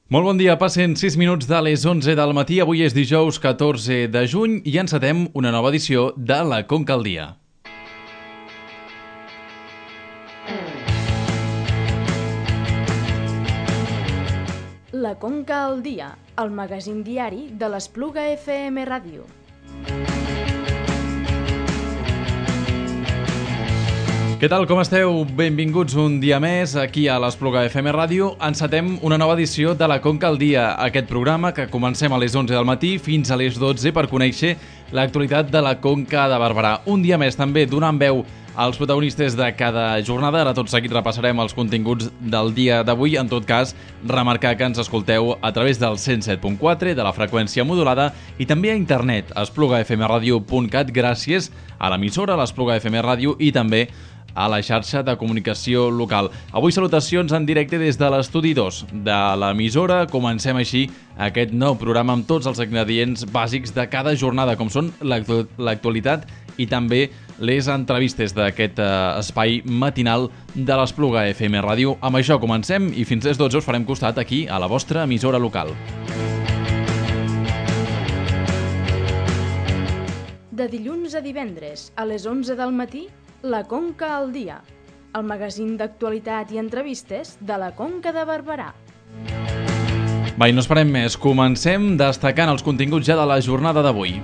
Molt bon dia, passen 6 minuts de les 11 del matí. Avui és dijous 14 de juny i encetem una nova edició de La Conca al Dia. La Conca al Dia, el magazín diari de l'Espluga FM Ràdio. Què tal, com esteu? Benvinguts un dia més aquí a l'Espluga FM Ràdio. Encetem una nova edició de La Conca al Dia, aquest programa que comencem a les 11 del matí fins a les 12 per conèixer l'actualitat de la Conca de Barberà. Un dia més també donant veu als protagonistes de cada jornada. Ara tot seguit repassarem els continguts del dia d'avui. En tot cas, remarcar que ens escolteu a través del 107.4 de la freqüència modulada i també a internet, a esplugafmradio.cat, gràcies a l'emissora, l'Espluga FM Ràdio, i també a la xarxa de comunicació local. Avui salutacions en directe des de l'estudi 2 de l'emissora. Comencem així aquest nou programa amb tots els ingredients bàsics de cada jornada, com són l'actualitat i també les entrevistes d'aquest espai matinal de l'Espluga FM Ràdio. Amb això comencem i fins les 12 us farem costat aquí a la vostra emissora local. De dilluns a divendres, a les 11 del matí, La Conca al Dia, el magazín d'actualitat i entrevistes de la Conca de Barberà. Va, i no esperem més. Comencem destacant els continguts ja de la jornada d'avui.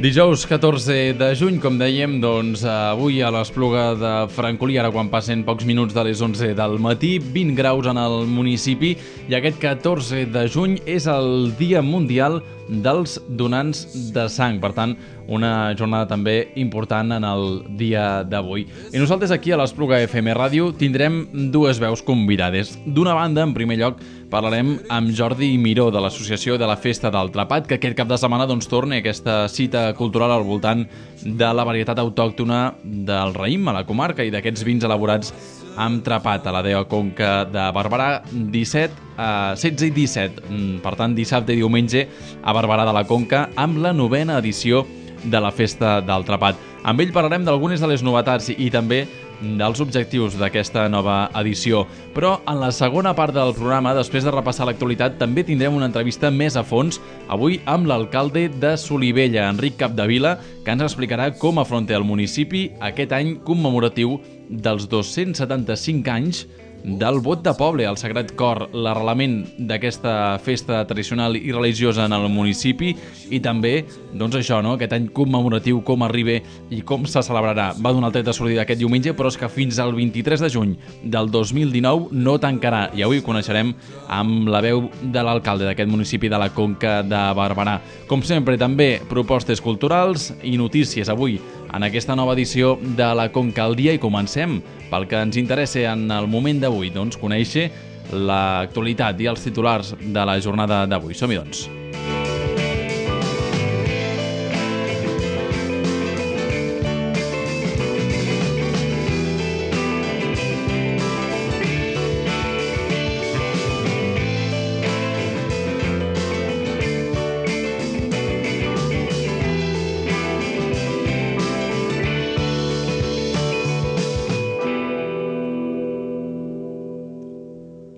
Dijous 14 de juny, com dèiem, doncs avui a l'Espluga de Francolí, ara quan passen pocs minuts de les 11 del matí, 20 graus en el municipi, i aquest 14 de juny és el Dia Mundial dels Donants de Sang. Per tant, una jornada també important en el dia d'avui. I nosaltres aquí a l'Espluga FM Ràdio tindrem dues veus convidades. D'una banda, en primer lloc, parlarem amb Jordi Miró de l'Associació de la Festa del Trapat, que aquest cap de setmana torna aquesta cita cultural al voltant de la varietat autòctona del raïm a la comarca i d'aquests vins elaborats amb trapat a la DEO Conca de Barberà, 16 i 17, per tant dissabte i diumenge a Barberà de la Conca, amb la 9a edició de la Festa del Trapat. Amb ell parlarem d'algunes de les novetats i també dels objectius d'aquesta nova edició. Però en la segona part del programa, després de repassar l'actualitat, també tindrem una entrevista més a fons, avui amb l'alcalde de Solivella, Enric Capdevila, que ens explicarà com afronta el municipi aquest any commemoratiu dels 275 anys del vot de poble al Sagrat Cor, l'arrelament d'aquesta festa tradicional i religiosa en el municipi, i també, doncs això, no?, aquest any commemoratiu, com arriba i com se celebrarà. Va donar el tret de sortida aquest diumenge, però és que fins al 23 de juny del 2019 no tancarà, i avui ho coneixerem amb la veu de l'alcalde d'aquest municipi de la Conca de Barberà. Com sempre, també propostes culturals i notícies avui en aquesta nova edició de la Conca al Dia, i comencem pel que ens interessa en el moment d'avui, doncs conèixer l'actualitat i els titulars de la jornada d'avui. Som-hi, doncs.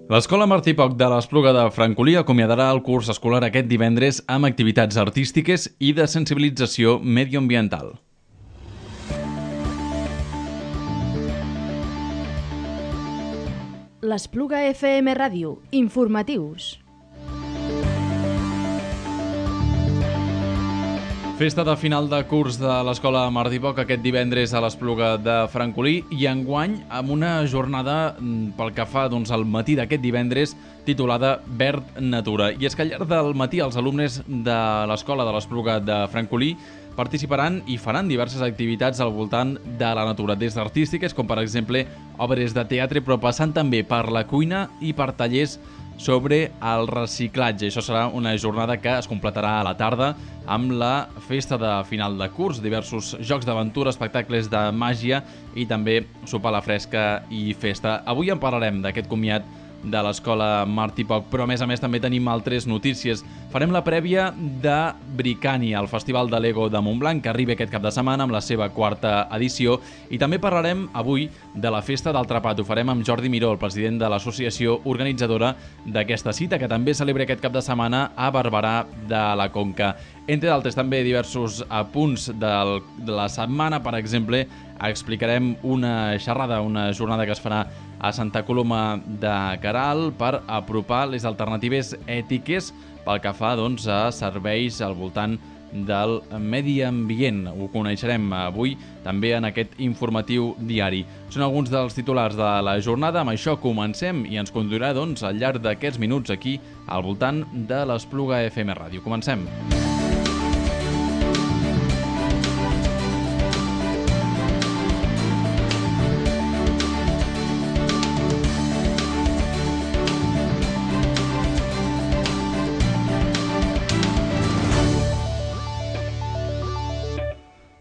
L'Escola Martí Poch de l'Espluga de Francolí acomiadarà el curs escolar aquest divendres amb activitats artístiques i de sensibilització mediambiental. L'Espluga FM Ràdio, informatius. Festa de final de curs de l'Escola Martí Poch aquest divendres a l'Espluga de Francolí, i enguany amb una jornada pel que fa al matí d'aquest divendres titulada Verd Natura. I és que al llarg del matí els alumnes de l'Escola de l'Espluga de Francolí participaran i faran diverses activitats al voltant de la natura, des d'artístiques com per exemple obres de teatre, però passant també per la cuina i per tallers sobre el reciclatge. Això serà una jornada que es completarà a la tarda amb la festa de final de curs, diversos jocs d'aventura, espectacles de màgia i també sopar a la fresca i festa. Avui en parlarem d'aquest comiat de l'Escola Martí Poch, però a més també tenim altres notícies. Farem la prèvia de Bricània, el Festival de Lego de Montblanc, que arriba aquest cap de setmana amb la seva 4a edició, i també parlarem avui de la Festa del Trapat. Ho farem amb Jordi Miró, el president de l'associació organitzadora d'aquesta cita, que també celebra aquest cap de setmana a Barberà de la Conca. Entre d'altres, també diversos apunts de la setmana. Per exemple, explicarem una xerrada, una jornada que es farà a Santa Coloma de Queralt per apropar les alternatives ètiques pel que fa a serveis al voltant del medi ambient. Ho coneixerem avui també en aquest informatiu diari. Són alguns dels titulars de la jornada. Amb això comencem i ens conduirà al llarg d'aquests minuts aquí al voltant de l'Espluga FM Ràdio. Comencem.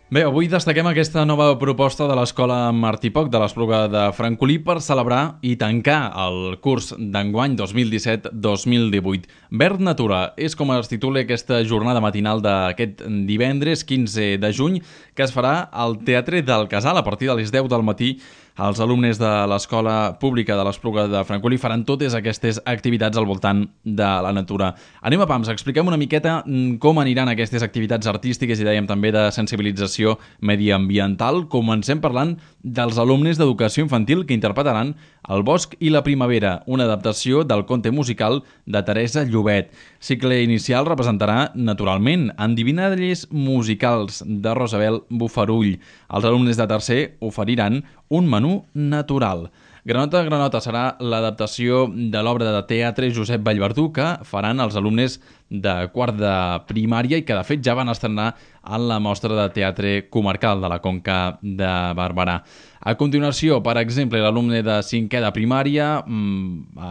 Bé, avui destaquem aquesta nova proposta de l'Escola Martí Poch de l'Espluga de Francolí per celebrar i tancar el curs d'enguany 2017-2018. Verd Natura és com es titula aquesta jornada matinal d'aquest divendres 15 de juny, que es farà al Teatre del Casal a partir de les 10 del matí. Els alumnes de l'Escola Pública de l'Espluga de Francolí faran totes aquestes activitats al voltant de la natura. Anem a pams, expliquem una miqueta com aniran aquestes activitats artístiques i dèiem també de sensibilització mediambiental. Comencem parlant dels alumnes d'educació infantil que interpretaran El bosc i la primavera, una adaptació del conte musical de Teresa Llobet. Cicle inicial representarà, naturalment, endivinalles musicals de Rosabel Bufarull. Els alumnes de tercer oferiran un menú natural. Granota, Granota serà l'adaptació de l'obra de teatre Josep Vallverdú que faran els alumnes de quart de primària i que de fet ja van estrenar en la mostra de teatre comarcal de la Conca de Barberà. A continuació, per exemple, l'alumne de cinquè de primària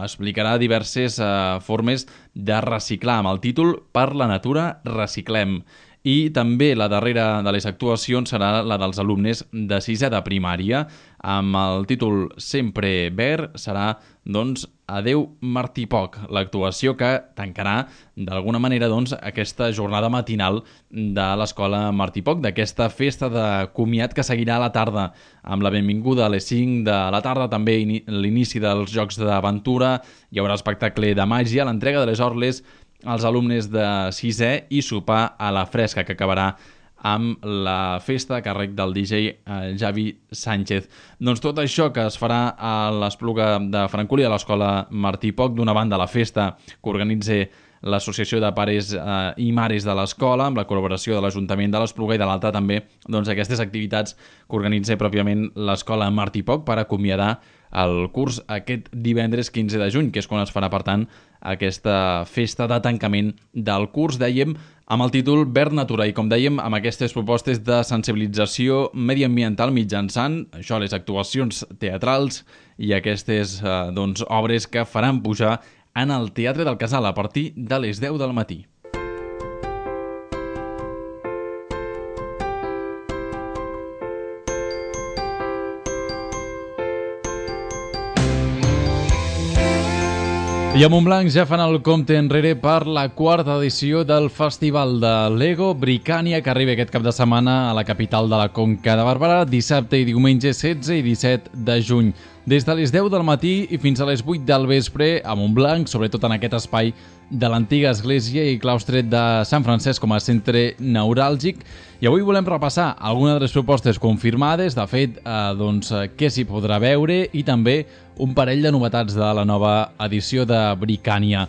explicarà diverses formes de reciclar amb el títol Per la natura reciclem. I també la darrera de les actuacions serà la dels alumnes de sisè de primària. Amb el títol Sempre verd serà, Adeu Martí Poch, l'actuació que tancarà d'alguna manera aquesta jornada matinal de l'Escola Martí Poch, d'aquesta festa de comiat que seguirà a la tarda amb la benvinguda a les 5 de la tarda, també l'inici dels jocs d'aventura, hi haurà espectacle de màgia, l'entrega de les orles als alumnes de sisè i sopar a la fresca, que acabarà amb la festa a càrrec del DJ Javi Sánchez. Tot això que es farà a l'Espluga de Francolí, a l'Escola Martí Poch, d'una banda la festa que organitza l'Associació de Pares i Mares de l'Escola, amb la col·laboració de l'Ajuntament de l'Espluga, i de l'altra també aquestes activitats que organitza pròpiament l'Escola Martí Poch per acomiadar el curs aquest divendres 15 de juny, que és quan es farà, per tant, aquesta festa de tancament del curs, dèiem, amb el títol Verd Natura, i com dèiem, amb aquestes propostes de sensibilització mediambiental mitjançant això, les actuacions teatrals i aquestes obres que faran pujar en el Teatre del Casal a partir de les 10 del matí. I a Montblanc ja fan el compte enrere per la 4a edició del Festival de Lego Bricània, que arriba aquest cap de setmana a la capital de la Conca de Barberà, dissabte i diumenge 16 i 17 de juny. Des de les 10 del matí i fins a les 8 del vespre a Montblanc, sobretot en aquest espai de l'antiga església i claustre de Sant Francesc com a centre neuràlgic. I avui volem repassar algunes de les propostes confirmades, de fet, què s'hi podrà veure i també un parell de novetats de la nova edició de Bricània.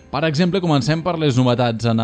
Per exemple, comencem per les novetats. En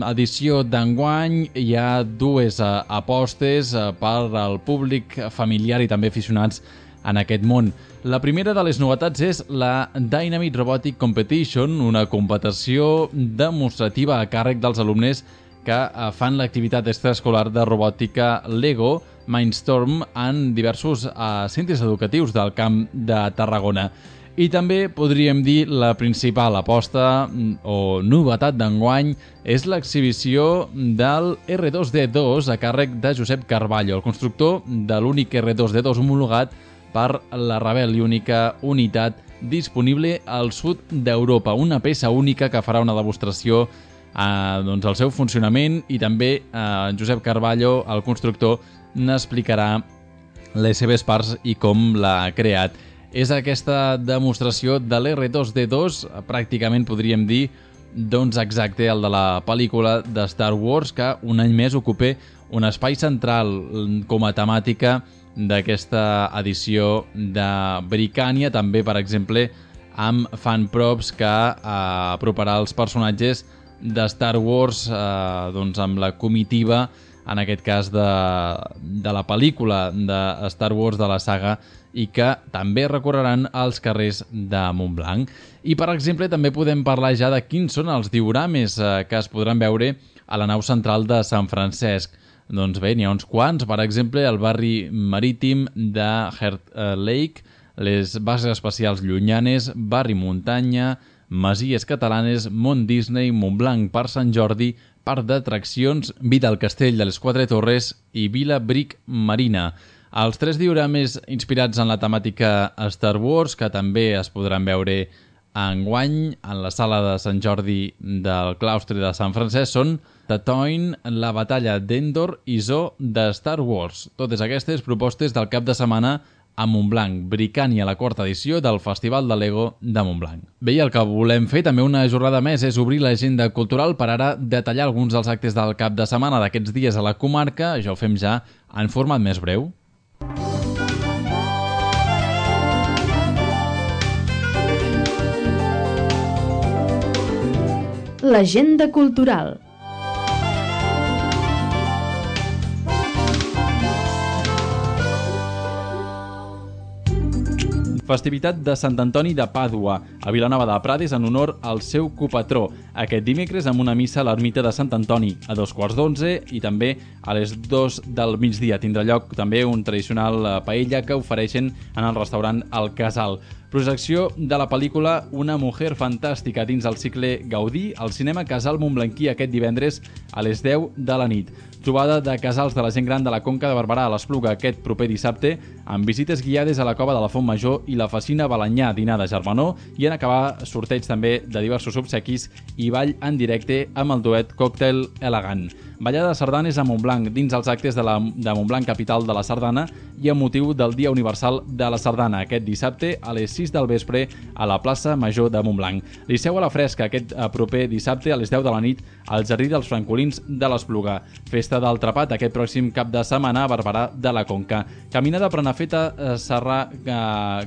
l'edició d'enguany hi ha dues apostes per al públic familiar i també aficionats en aquest món. La primera de les novetats és la Dynamite Robotic Competition, una competició demostrativa a càrrec dels alumnes que fan l'activitat extraescolar de robòtica Lego Mindstorm en diversos centres educatius del Camp de Tarragona. I també podríem dir la principal aposta o novetat d'enguany és l'exhibició del R2D2 a càrrec de Josep Carballo, el constructor de l'únic R2D2 homologat per la Ravel i única unitat disponible al sud d'Europa. Una peça única que farà una demostració del seu funcionament i també Josep Carballo, el constructor, n'explicarà les seves parts i com l'ha creat. És aquesta demostració de l'R2D2, pràcticament podríem dir exacte el de la pel·lícula de Star Wars, que un any més ocupa un espai central com a temàtica d'aquesta edició de Bricània, també, per exemple, amb fanprops que aproparà els personatges de Star Wars amb la comitiva, en aquest cas de la pel·lícula de Star Wars de la saga, i que també recorreran els carrers de Montblanc. I, per exemple, també podem parlar ja de quins són els diorames que es podran veure a la nau central de Sant Francesc. Doncs bé, n'hi ha uns quants, per exemple, el barri marítim de Heart Lake, les bases espacials llunyanes, barri muntanya, masies catalanes, Mont Disney, Montblanc, Parc Sant Jordi, Parc d'Atraccions, Vida al Castell de les Quatre Torres i Vila Bric Marina. Els 3 diorames inspirats en la temàtica Star Wars, que també es podran veure enguany en la sala de Sant Jordi del claustre de Sant Francesc, són Tatooine, la batalla d'Endor i Zoo de Star Wars. Totes aquestes propostes del cap de setmana a Montblanc, Bricània, la 4ª edició del Festival de Lego de Montblanc. Bé, i el que volem fer també una jornada més és obrir l'agenda cultural per ara detallar alguns dels actes del cap de setmana d'aquests dies a la comarca. Ja ho fem ja en format més breu. L'agenda cultural. Festivitat de Sant Antoni de Pàdua, a Vilanova de Prades, en honor al seu copatró. Aquest dimecres amb una missa a l'ermita de Sant Antoni a 11:15 i també a les 2 del migdia. Tindrà lloc també un tradicional paella que ofereixen en el restaurant El Casal. Projecció de la pel·lícula Una mujer fantàstica dins el cicle Gaudí al cinema Casal Montblanquí aquest divendres a les 10 de la nit. Trobada de casals de la gent gran de la Conca de Barberà a l'Espluga aquest proper dissabte amb visites guiades a la cova de la Font Major i la Facina Balanyà, dinar de germanor i en acabar sorteig també de diversos obsequis i ball en directe amb el duet Còctel Elegant. Ballada de sardanes a Montblanc dins els actes de Montblanc, capital de la sardana, i amb motiu del Dia Universal de la Sardana aquest dissabte a les 6 del vespre a la plaça Major de Montblanc. Liceu a la Fresca aquest proper dissabte a les 10 de la nit al Jardí dels Francolins de l'Espluga. Festa del Trapat aquest pròxim cap de setmana a Barberà de la Conca. Caminada Prenafeta Serrà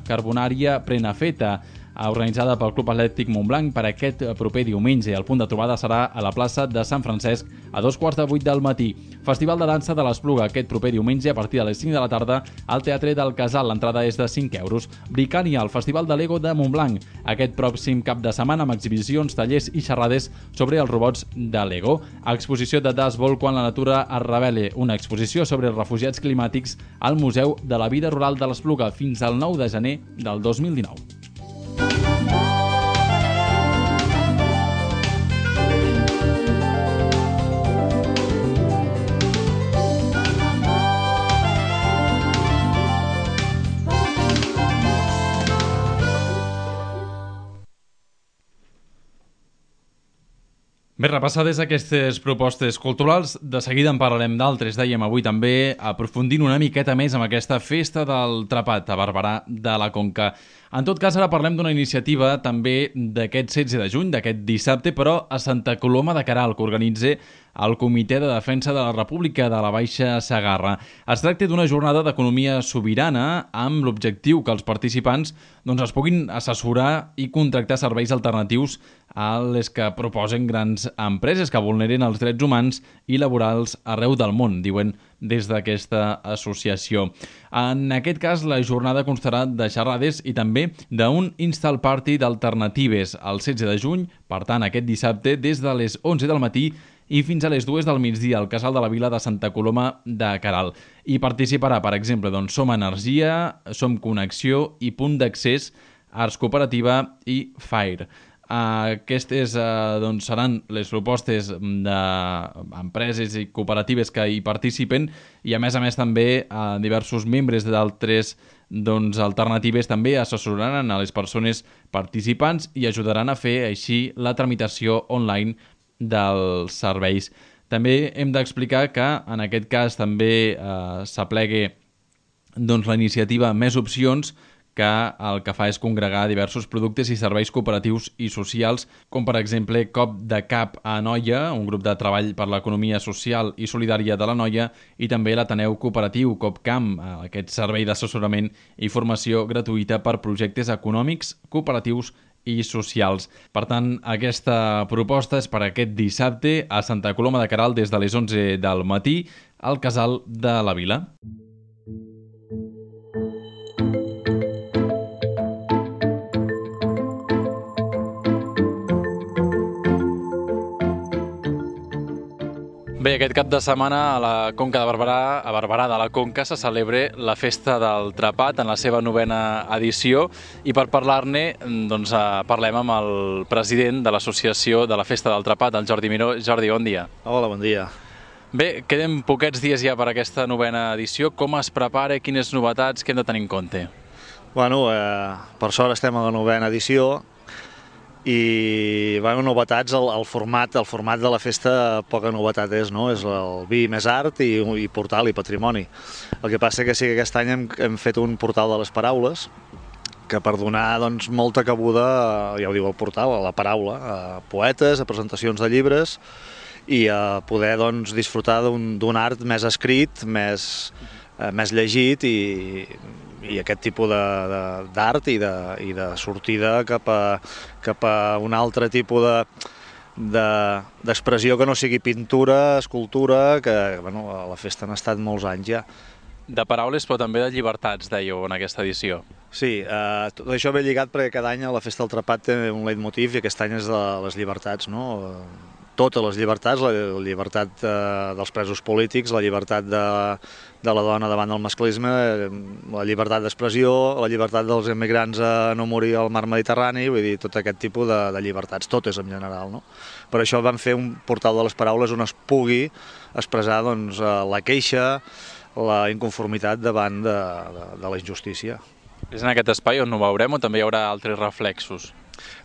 Carbonària Prenafeta, organitzada pel Club Atlètic Montblanc per aquest proper diumenge. El punt de trobada serà a la plaça de Sant Francesc a 7:15 del matí. Festival de dansa de l'Espluga aquest proper diumenge a partir de les 5 de la tarda al Teatre del Casal. L'entrada és de 5 euros. Bricània, el Festival de Lego de Montblanc. Aquest pròxim cap de setmana amb exhibicions, tallers i xerrades sobre els robots de Lego. Exposició de Das Vol quan la natura es revele. Una exposició sobre els refugiats climàtics al Museu de la Vida Rural de l'Espluga fins al 9 de gener del 2019. Bé, repassades aquestes propostes culturals, de seguida en parlarem d'altres. Dèiem avui també aprofundint una miqueta més amb aquesta festa del Trapat a Barberà de la Conca. En tot cas, ara parlem d'una iniciativa també d'aquest 16 de juny, d'aquest dissabte, però a Santa Coloma de Queralt, que organitza el Comitè de Defensa de la República de la Baixa Segarra. Es tracta d'una jornada d'economia sobirana amb l'objectiu que els participants es puguin assessorar i contractar serveis alternatius a les que proposen grans empreses que vulneren els drets humans i laborals arreu del món, diuen des d'aquesta associació. En aquest cas, la jornada constarà de xerrades i també d'un install party d'alternatives el 16 de juny, per tant, aquest dissabte, des de les 11 del matí i fins a les 2 del migdia al Casal de la Vila de Santa Coloma de Queralt. Hi participarà, per exemple, Som Energia, Som Connexió i Punt d'Accés, Arts Cooperativa i FAIR. Aquestes seran les propostes d'empreses i cooperatives que hi participen i a més també diversos membres d'altres alternatives també assessoraran a les persones participants i ajudaran a fer així la tramitació online dels serveis. També hem d'explicar que en aquest cas també s'aplega la iniciativa Més Opcions, que el que fa és congregar diversos productes i serveis cooperatius i socials, com per exemple Cop de Cap a Anoia, un grup de treball per l'economia social i solidària de l'Anoia, i també l'Ateneu Cooperatiu Copcamp, aquest servei d'assessorament i formació gratuïta per projectes econòmics, cooperatius i socials. Per tant, aquesta proposta és per aquest dissabte a Santa Coloma de Queralt des de les 11 del matí al Casal de la Vila. Bé, aquest cap de setmana a la Conca de Barberà, a Barberà de la Conca, se celebra la Festa del Trepat en la seva 9a edició i per parlar-ne parlem amb el president de l'Associació de la Festa del Trepat, el Jordi Miró. Jordi, bon dia. Hola, bon dia. Bé, queden poquets dies ja per aquesta 9a edició. Com es prepara? Quines novetats que hem de tenir en compte? Bueno, per sort estem a la 9a edició i novetats, el format de la festa poca novetat és, no? És el vi més art i portal i patrimoni. El que passa que sí que aquest any hem fet un portal de les paraules que per donar molta cabuda, ja ho diu el portal, a la paraula, a poetes, a presentacions de llibres i a poder disfrutar d'un art més escrit, més llegit i aquest tipus d'art i de sortida cap a un altre tipus d'expressió que no sigui pintura, escultura, que a la festa han estat molts anys ja. De paraules però també de llibertats, dèieu, en aquesta edició. Sí, tot això ve lligat perquè cada any la Festa del Trepat té un leitmotiv i aquest any és de les llibertats, no? Totes les llibertats, la llibertat dels presos polítics, la llibertat de la dona davant del masclisme, la llibertat d'expressió, la llibertat dels immigrants a no morir al mar Mediterrani, vull dir, tot aquest tipus de llibertats, totes en general, no? Per això vam fer un portal de les paraules on es pugui expressar la queixa, la inconformitat davant de la injustícia. És en aquest espai on ho veurem o també hi haurà altres reflexos?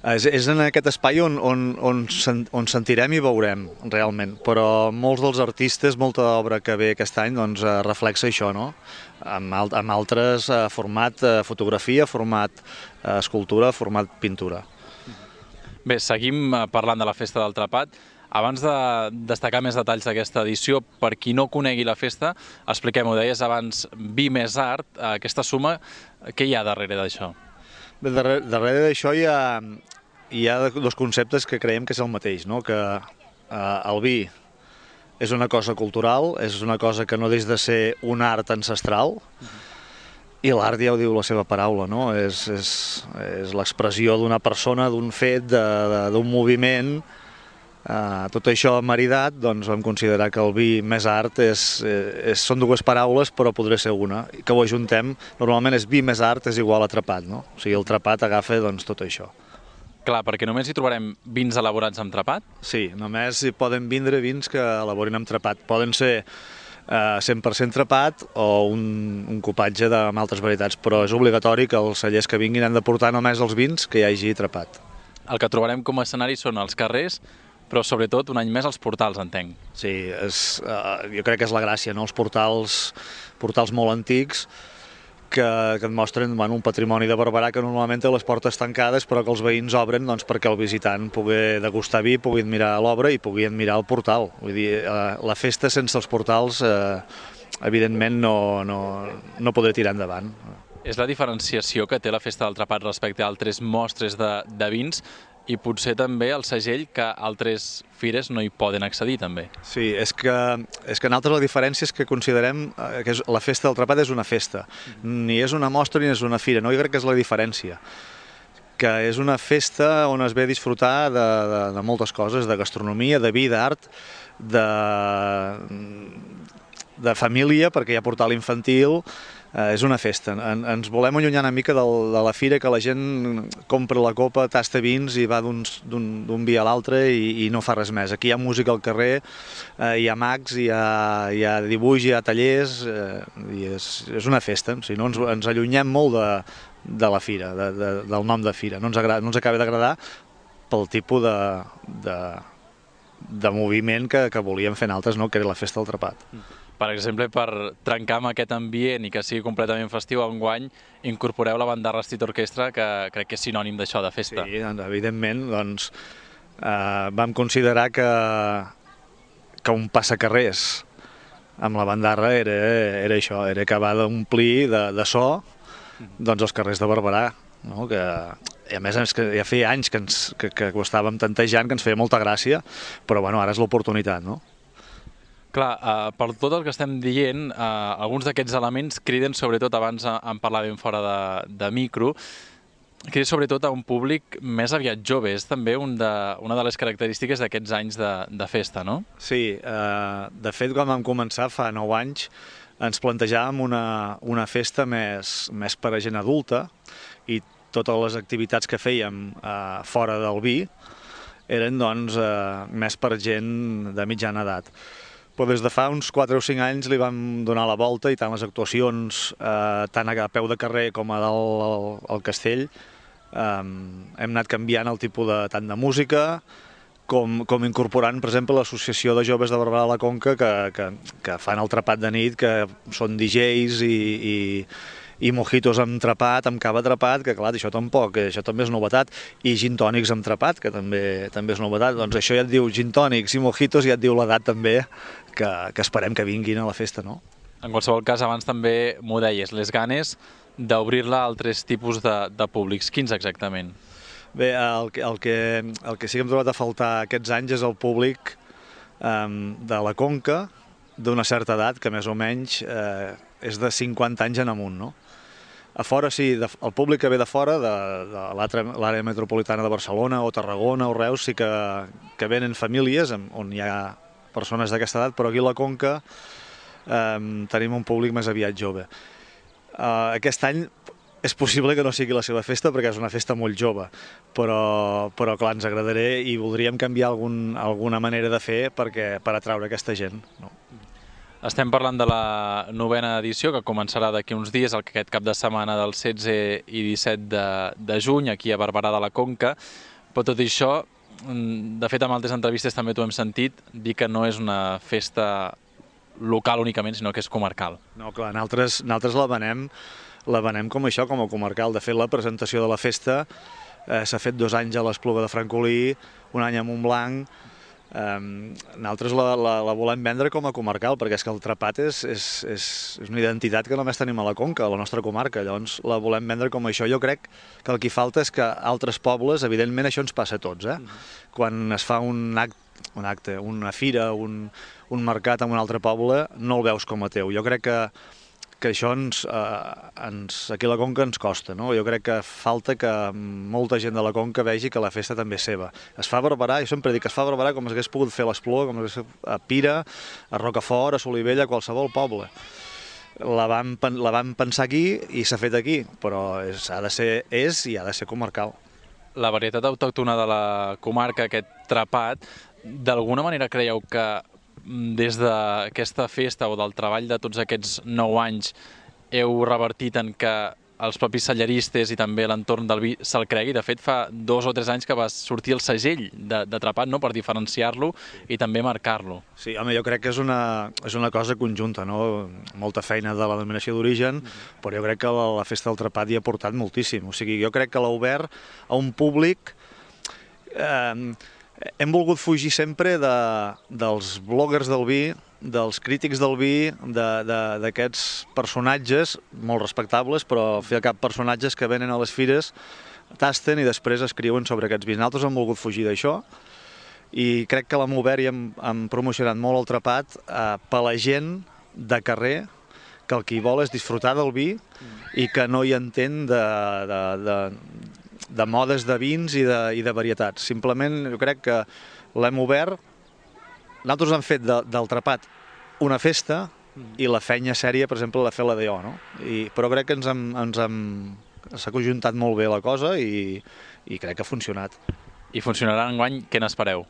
És en aquest espai on sentirem i veurem, realment, però molts dels artistes, molta obra que ve aquest any reflexa això, no? Amb altres format fotografia, format escultura, format pintura. Bé, seguim parlant de la Festa del Trepat. Abans de destacar més detalls d'aquesta edició, per qui no conegui la festa, expliquem-ho, deies abans, vi més art, aquesta suma, què hi ha darrere d'això? Bé, darrere d'això hi ha dos conceptes que creiem que és el mateix, no? Que el vi és una cosa cultural, és una cosa que no deixa de ser un art ancestral, i l'art ja ho diu la seva paraula, no? És l'expressió d'una persona, d'un fet, d'un moviment. Tot això maridat, vam considerar que el vi més art són dues paraules però podria ser una, que ho ajuntem. Normalment és vi més art és igual a trepat, no? O sigui, el trepat agafa tot això. Clar, perquè només hi trobarem vins elaborats amb trepat? Sí, només hi poden vindre vins que elaborin amb trepat. Poden ser 100% trepat o un copatge amb altres varietats, però és obligatori que els cellers que vinguin han de portar només els vins que hi hagi trepat. El que trobarem com a escenari són els carrers, però sobretot un any més els portals, entenc. Sí, jo crec que és la gràcia, no? Els portals molt antics que et mostren un patrimoni de Barberà que normalment té les portes tancades però que els veïns obren perquè el visitant pugui degustar vi, pugui admirar l'obra i pugui admirar el portal. Vull dir, la festa sense els portals evidentment no podré tirar endavant. És la diferenciació que té la Festa del Trepat respecte a altres mostres de vins i potser també el segell que altres fires no hi poden accedir també. Sí, és que nosaltres la diferència és que considerem que la Festa del Trepat és una festa. Ni és una mostra ni és una fira, no? Jo crec que és la diferència. Que és una festa on es ve a disfrutar de moltes coses, de gastronomia, de vi, d'art, de família, perquè hi ha portal infantil, és una festa. Ens volem allunyar una mica de la fira, que la gent compra la copa, tasta vins i va d'un vi a l'altre i no fa res més. Aquí hi ha música al carrer, hi ha mags, hi ha dibuix, hi ha tallers, i és una festa. O sigui, no ens allunyem molt de la fira, del nom de fira. No ens acaba d'agradar pel tipus de moviment que volíem fer altres, no? Que era la festa del Trepat. Per exemple, per trencar amb aquest ambient i que sigui completament festiu, enguany incorporeu la bandarra Street Orchestra, que crec que és sinònim d'això, de festa. Sí, evidentment, doncs, vam considerar que un passacarrers amb la bandarra era això, era acabar d'omplir de so doncs, els carrers de Barberà, no? I a més és que ja feia anys que ho estàvem tantejant, que ens feia molta gràcia, però bueno, ara és l'oportunitat, no? Clar, per tot el que estem dient, alguns d'aquests elements criden, sobretot, abans en parlàvem fora de micro, criden sobretot a un públic més aviat jove. És també una de les característiques d'aquests anys de festa, no? Sí, de fet, quan vam començar fa 9 anys, ens plantejàvem una festa més per a gent adulta i totes les activitats que fèiem fora del vi eren doncs, més per gent de mitjana edat. Però des de fa uns 4 o 5 anys li vam donar la volta i tant les actuacions, tant a peu de carrer com a dalt al castell, hem anat canviant el tipus tant de música com incorporant, per exemple, l'associació de joves de Barberà de la Conca que fan el trepat de nit, que són DJs i mojitos amb trepat, amb cava trepat, que clar, això també és novetat, i gin tònics amb trepat, que també és novetat. Doncs això ja et diu gin tònics i mojitos, ja et diu l'edat també, que esperem que vinguin a la festa, no? En qualsevol cas, abans també m'ho deies, les ganes d'obrir-la a altres tipus de públics. Quins exactament? Bé, el que sí que hem trobat a faltar aquests anys és el públic de la Conca, d'una certa edat, que més o menys és de 50 anys en amunt, no? A fora, sí, el públic que ve de fora, de l'àrea metropolitana de Barcelona o Tarragona o Reus, sí que venen famílies on hi ha persones d'aquesta edat, però aquí a la Conca tenim un públic més aviat jove. Aquest any és possible que no sigui la seva festa perquè és una festa molt jove, però clar, ens agradaria i voldríem canviar alguna manera de fer per atraure aquesta gent, no? Estem parlant de la 9a edició, que començarà d'aquí uns dies, aquest cap de setmana del 16 i 17 de juny, aquí a Barberà de la Conca. Però tot i això, de fet, en altres entrevistes també t'ho hem sentit, dir que no és una festa local únicament, sinó que és comarcal. No, clar, nosaltres la venem com això, com a comarcal. De fet, la presentació de la festa s'ha fet 2 anys a l'Espluga de Francolí, un any a Montblanc. Nosaltres la volem vendre com a comarcal, perquè és que el trepat és una identitat que només tenim a la Conca, a la nostra comarca, llavors la volem vendre com això. Jo crec que el que falta és que altres pobles, evidentment això ens passa a tots, quan es fa un acte, una fira, un mercat en un altre poble, no el veus com a teu. Jo crec que això aquí a la Conca ens costa, no? Jo crec que falta que molta gent de la Conca vegi que la festa també és seva. Es fa a Barberà, jo sempre dic que es fa a Barberà com s'hagués pogut fer a l'Espluga, com s'hagués fet a Pira, a Rocafort, a Solivella, a qualsevol poble. La vam pensar aquí i s'ha fet aquí, però és i ha de ser comarcal. La varietat autòctona de la comarca, aquest trepat, d'alguna manera creieu que des d'aquesta festa o del treball de tots aquests 9 anys heu revertit en que els propis cellaristes i també l'entorn del vi se'l cregui? De fet, fa 2 o 3 anys que va sortir el segell de trepat, no?, per diferenciar-lo i també marcar-lo. Sí, home, jo crec que és una cosa conjunta, no? Molta feina de la denominació d'origen, però jo crec que la festa del trepat hi ha aportat moltíssim. O sigui, jo crec que l'ha obert a un públic... Hem volgut fugir sempre dels bloggers del vi, dels crítics del vi, d'aquests personatges molt respectables, però al fi i al cap personatges que venen a les fires, tasten i després escriuen sobre aquests vins. Nosaltres hem volgut fugir d'això i crec que l'hem obert i hem promocionat molt el trepat per la gent de carrer, que el que hi vol és disfrutar del vi i que no hi entén de modes de vins i de varietats. Simplement jo crec que l'hem obert. Nosaltres hem fet del trepat una festa i la feina sèria, per exemple, la fer la DO, no? Però crec que s'ha conjuntat molt bé la cosa i crec que ha funcionat. I funcionarà enguany, què n'espereu?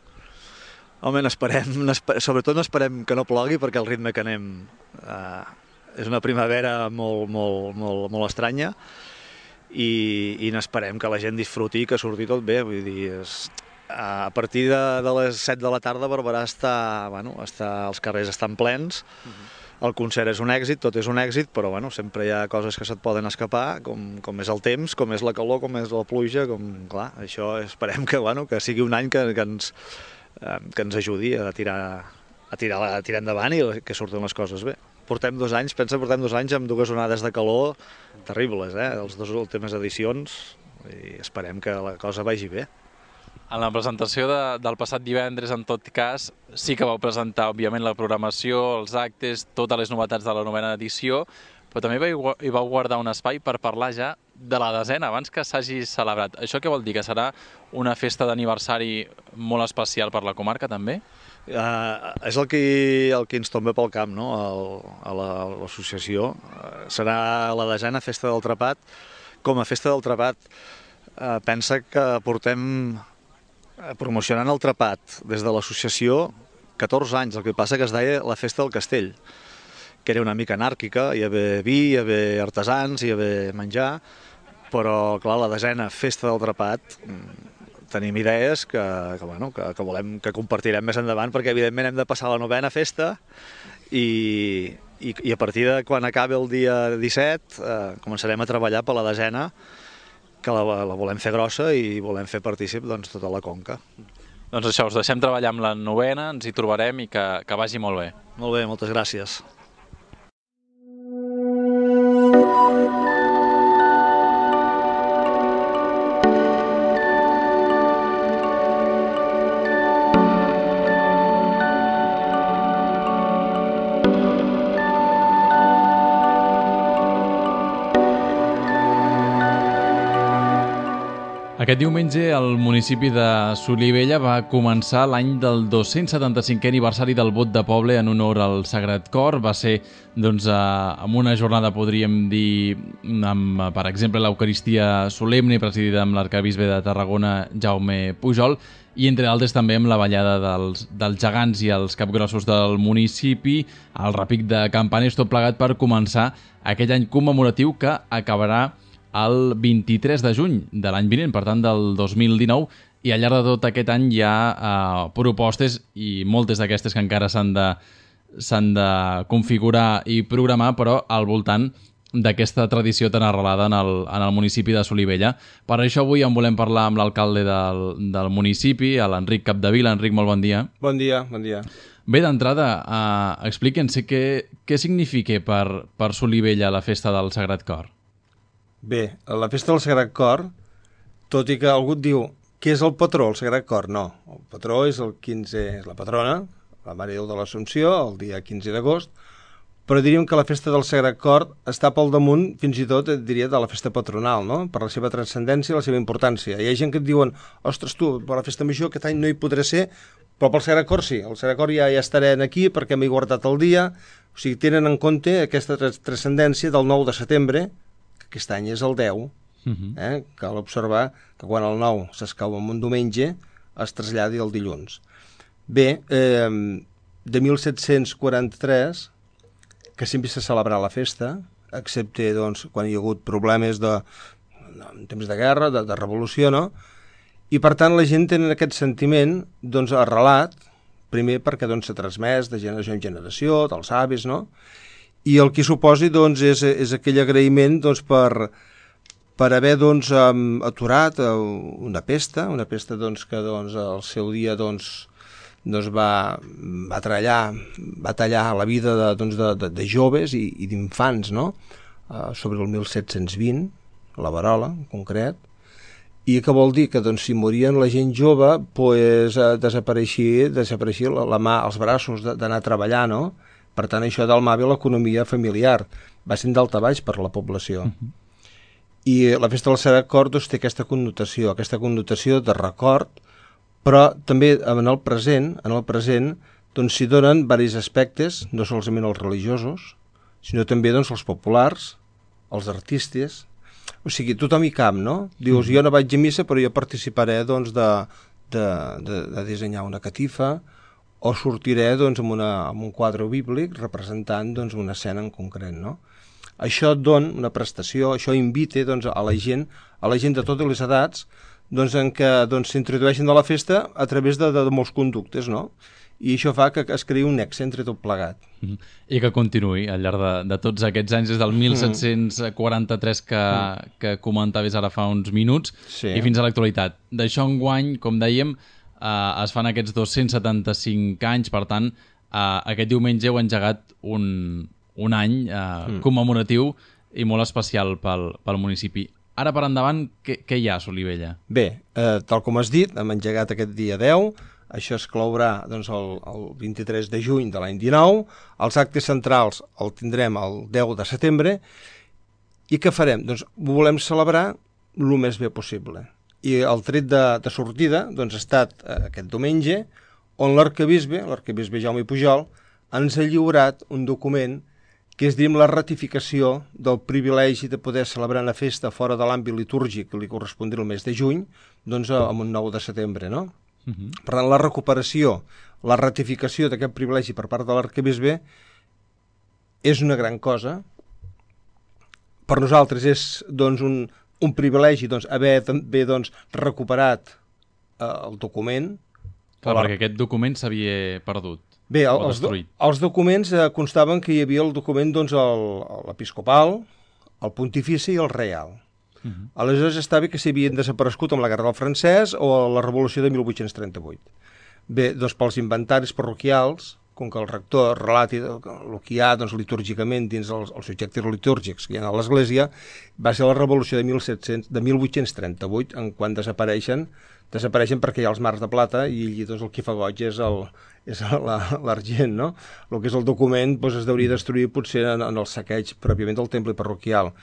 Home, sobretot n'esperem que no plogui, perquè el ritme que anem és una primavera molt estranya, i n'esperem que la gent disfruti i que surti tot bé. Vull dir, a partir de les 7 de la tarda Barberà els carrers estan plens, el concert és un èxit, tot és un èxit, però sempre hi ha coses que se't poden escapar, com és el temps, com és la calor, com és la pluja, clar, això esperem que sigui un any que ens ajudi a tirar endavant i que surtin les coses bé. Portem 2 anys amb 2 onades de calor terribles, les 2 últimes edicions, i esperem que la cosa vagi bé. En la presentació del passat divendres, en tot cas, sí que vau presentar, òbviament, la programació, els actes, totes les novetats de la 9ª edició, però també hi vau guardar un espai per parlar ja de la 10ª, abans que s'hagi celebrat. Això què vol dir? Que serà una festa d'aniversari molt especial per la comarca, també? És el que ens tomba pel camp, no? A l'associació. Serà la 10ª Festa del Trepat. Com a Festa del Trepat, pensa que portem promocionant el trepat des de l'associació 14 anys, el que passa que es deia la Festa del Castell, que era una mica anàrquica, hi havia vi, hi havia artesans, hi havia menjar, però clar, la 10ª Festa del Trepat tenim idees que compartirem més endavant, perquè evidentment hem de passar la 9ª festa i a partir de quan acabi el dia 17 començarem a treballar per la 10ª, que la volem fer grossa i volem fer partícip tota la conca. Doncs això, us deixem treballar amb la 9ª, ens hi trobarem i que vagi molt bé. Molt bé, moltes gràcies. Aquest diumenge el municipi de Solivella va començar l'any del 275è aniversari del vot de poble en honor al Sagrat Cor. Va ser, amb una jornada, podríem dir, amb, per exemple, l'Eucaristia solemne presidida amb l'arcabisbe de Tarragona, Jaume Pujol, i entre altres també amb la ballada dels gegants i els capgrossos del municipi, el repic de campanes, tot plegat per començar aquell any commemoratiu que acabarà el 23 de juny de l'any vinent, per tant del 2019, i al llarg de tot aquest any hi ha propostes, i moltes d'aquestes que encara s'han de configurar i programar, però al voltant d'aquesta tradició tan arrelada en el municipi de Solivella. Per això avui en volem parlar amb l'alcalde del municipi, l'Enric Capdevila. Enric, molt bon dia. Bon dia, bon dia. Bé, d'entrada, explique'ns què significa per Solivella la festa del Sagrat Cor. Bé, la festa del Sagrat Cor, tot i que algú et diu què és el patró, el Sagrat Cor, no. El patró és el 15, és la patrona, la Mare Déu de l'Assumpció, el dia 15 d'agost, però diríem que la festa del Sagrat Cor està pel damunt, fins i tot, et diria, de la festa patronal, no? Per la seva transcendència i la seva importància. Hi ha gent que et diuen, ostres, tu, per la festa major aquest any no hi podré ser, però pel Sagrat Cor sí. El Sagrat Cor ja estaré aquí perquè m'he guardat el dia. O sigui, tenen en compte aquesta transcendència del 9 de setembre, aquest any és el 10, cal observar que quan el 9 s'escau en un diumenge es traslladi el dilluns. Bé, de 1743, que sempre s'ha celebrat la festa, excepte quan hi ha hagut problemes en temps de guerra, de revolució, no? I per tant la gent té aquest sentiment arrelat, primer perquè s'ha transmès de generació en generació, dels avis, no? I el que suposi és aquell agraïment per haver aturat una pesta que al seu dia va tallar la vida de joves i d'infants, no? Sobre el 1720, la verola en concret, i que vol dir que si morien la gent jove desapareixia la mà, els braços d'anar a treballar, no? Per tant, això dalmava l'economia familiar. Va ser daltabaix per la població. I la festa del Sagrat Cor té aquesta connotació de record, però també en el present doncs s'hi donen diversos aspectes, no solament els religiosos, sinó també doncs, els populars, els artistes, o sigui, tothom hi cap, no? Dius, jo no vaig a missa, però jo participaré doncs, de dissenyar una catifa, o sortiré doncs, amb un quadre bíblic representant doncs, una escena en concret, no? Això et dona una prestació, això invita doncs, a la gent de totes les edats, doncs, en què doncs, s'introdueixen a la festa a través de molts conductes, no? I això fa que es creï un nexe entre tot plegat. I que continuï al llarg de tots aquests anys, des del 1743 que comentaves ara fa uns minuts, Sí. I fins a l'actualitat. D'això enguany, com dèiem, es fan aquests 275 anys, per tant, aquest diumenge heu engegat un any commemoratiu i molt especial pel municipi. Ara per endavant, què hi ha a Solivella? Bé, tal com has dit, hem engegat aquest dia 10, això es clourà doncs, el 23 de juny de l'any 19, els actes centrals el tindrem el 10 de setembre, i què farem? Doncs ho volem celebrar el més bé possible. I el tret de sortida doncs, ha estat aquest diumenge, on l'arquebisbe Jaume Pujol, ens ha lliurat un document que és, diguem, la ratificació del privilegi de poder celebrar una festa fora de l'àmbit litúrgic que li correspondria el mes de juny, doncs amb un 9 de setembre, no? Per tant, la recuperació, la ratificació d'aquest privilegi per part de l'arquebisbe és una gran cosa. Per nosaltres és doncs, un privilegi doncs, haver també doncs, recuperat el document. Clar, perquè aquest document s'havia perdut. Bé, els documents constaven que hi havia el document doncs, l'episcopal, el pontifici i el reial. Aleshores estava que s'havien desaparegut amb la Guerra del Francès o la Revolució de 1838. Bé, doncs pels inventaris parroquials, com que el rector relati el que hi ha doncs, litúrgicament dins els objectes litúrgics que hi ha a l'Església, va ser la Revolució de 1838, en quan desapareixen perquè hi ha els mars de plata i allí doncs, el que fa goig és l'argent, no? El que és el document doncs, es hauria destruir potser en el saqueig pròpiament del temple parroquial.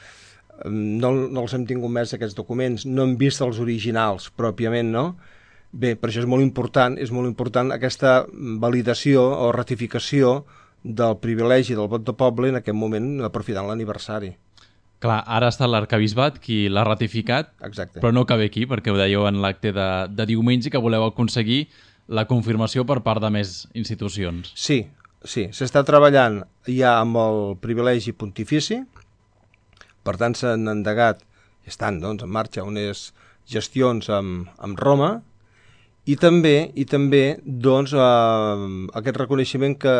No els hem tingut més aquests documents, no hem vist els originals pròpiament, no? Bé, per això és molt important aquesta validació o ratificació del privilegi del vot de poble en aquest moment, aprofitant l'aniversari. Clar, ara està l'arquebisbat qui l'ha ratificat, Exacte. Però no cabe aquí, perquè ho dèieu en l'acte de diumenge, que voleu aconseguir la confirmació per part de més institucions. Sí, s'està treballant ja amb el privilegi pontifici, per tant s'han endegat, estan doncs, en marxa unes gestions amb Roma, i també doncs, aquest reconeixement que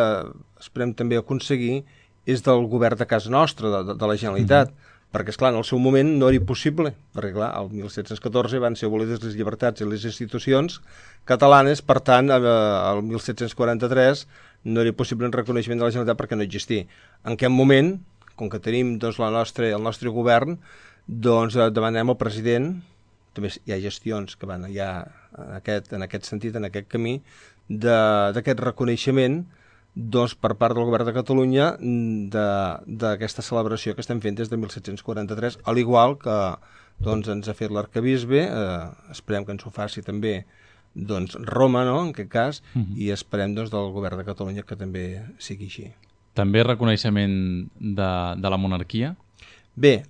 esperem també aconseguir és del govern de casa nostra, de la Generalitat, perquè, esclar, en el seu moment no era possible, perquè, clar, el 1714 van ser abolides les llibertats i les institucions catalanes, per tant, el 1743 no era possible un reconeixement de la Generalitat perquè no existia. En aquest moment, com que tenim doncs, el nostre govern, doncs demanem al president, també hi ha gestions que van ja en aquest sentit, en aquest camí, d'aquest reconeixement doncs, per part del govern de Catalunya d'aquesta celebració que estem fent des de 1743, al igual que doncs, ens ha fet l'arquebisbe, esperem que ens ho faci també doncs, Roma, no?, en aquest cas, i esperem doncs, del govern de Catalunya que també sigui així. També reconeixement de la monarquia? Bé,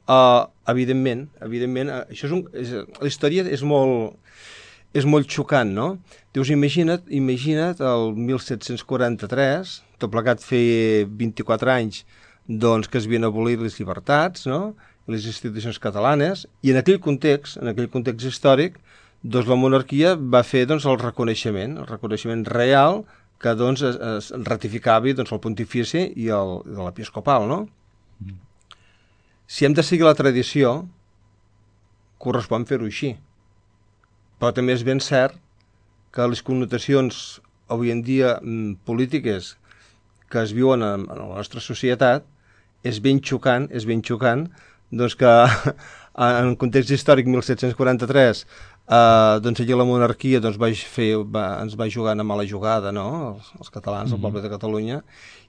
evidentment, això la història és molt xocant, no? Dius, imagina't el 1743, tot plegat feia 24 anys doncs, que es havien abolit les llibertats, no?, i les institucions catalanes, i en aquell context històric, doncs, la monarquia va fer doncs, el reconeixement real que doncs, es ratificava doncs, el pontifici i l'episcopal, no? Si hem de seguir la tradició, correspon fer-ho així. Però també és ben cert que les connotacions avui en dia polítiques que es viuen en la nostra societat és ben xocant doncs que en context històric 1743 doncs allí la monarquia doncs, ens va jugar una mala jugada, no?, els catalans, el poble de Catalunya,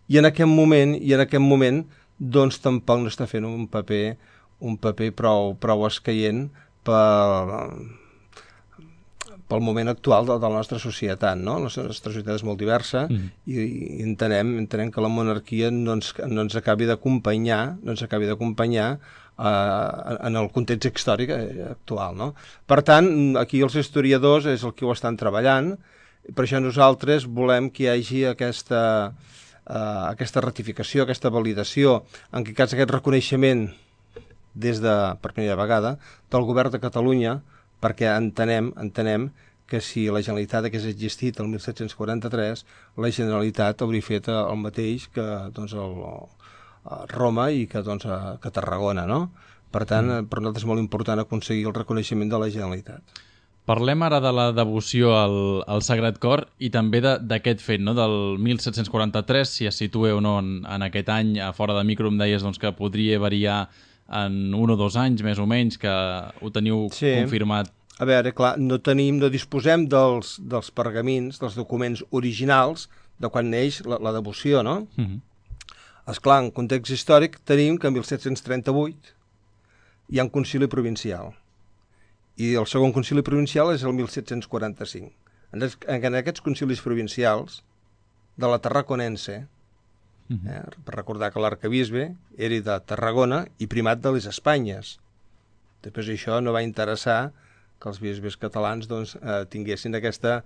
i en aquest moment doncs tampoc no està fent un paper prou escaient per pel moment actual de la nostra societat, no? La nostra societat és molt diversa i entenem que la monarquia no ens acabi d'acompanyar en el context històric actual, no? Per tant, aquí els historiadors és el que ho estan treballant, per això nosaltres volem que hi hagi aquesta ratificació, aquesta validació, en aquest cas aquest reconeixement per primera vegada del govern de Catalunya, perquè entenem que si la Generalitat hagués existit el 1743, la Generalitat hauria fet el mateix que Roma i que Tarragona, no? Per tant, per nosaltres és molt important aconseguir el reconeixement de la Generalitat. Parlem ara de la devoció al Sagrat Cor i també d'aquest fet, no? Del 1743, si es situa o no en aquest any. A fora de micro em deies que podria variar en 1 o 2 anys, més o menys, que ho teniu confirmat. A veure, clar, no disposem dels pergamins, dels documents originals de quan neix la devoció, no? Esclar, en context històric tenim que en 1738 hi ha un concili provincial i el segon concili provincial és el 1745. En aquests concilis provincials de la Tarraconense, per recordar que l'arquebisbe era de Tarragona i primat de les Espanyes. Després això no va interessar que els bisbes catalans tinguessin aquesta